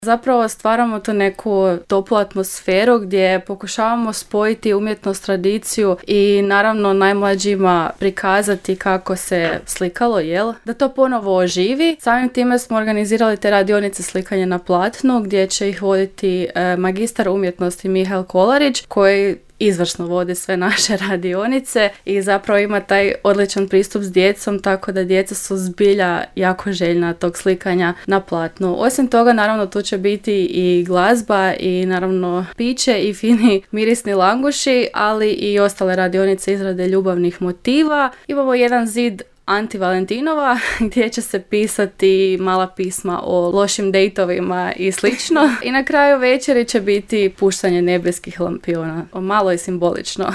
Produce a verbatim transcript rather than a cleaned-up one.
Zapravo stvaramo tu neku toplu atmosferu gdje pokušavamo spojiti umjetnost, tradiciju i naravno najmlađima prikazati kako se slikalo, jel? Da to ponovo oživi. Samim time smo organizirali te radionice slikanja na platnu gdje će ih voditi e, magistar umjetnosti Mihael Kolarić koji izvrsno vodi sve naše radionice i zapravo ima taj odličan pristup s djecom, tako da djeca su zbilja jako željna tog slikanja na platnu. Osim toga, naravno, tu će biti i glazba i naravno piće i fini mirisni languši, ali i ostale radionice izrade ljubavnih motiva. Imamo jedan zid Anti-Valentinova gdje će se pisati mala pisma o lošim dejtovima i slično. I na kraju večeri će biti puštanje nebeskih lampiona. Malo je simbolično.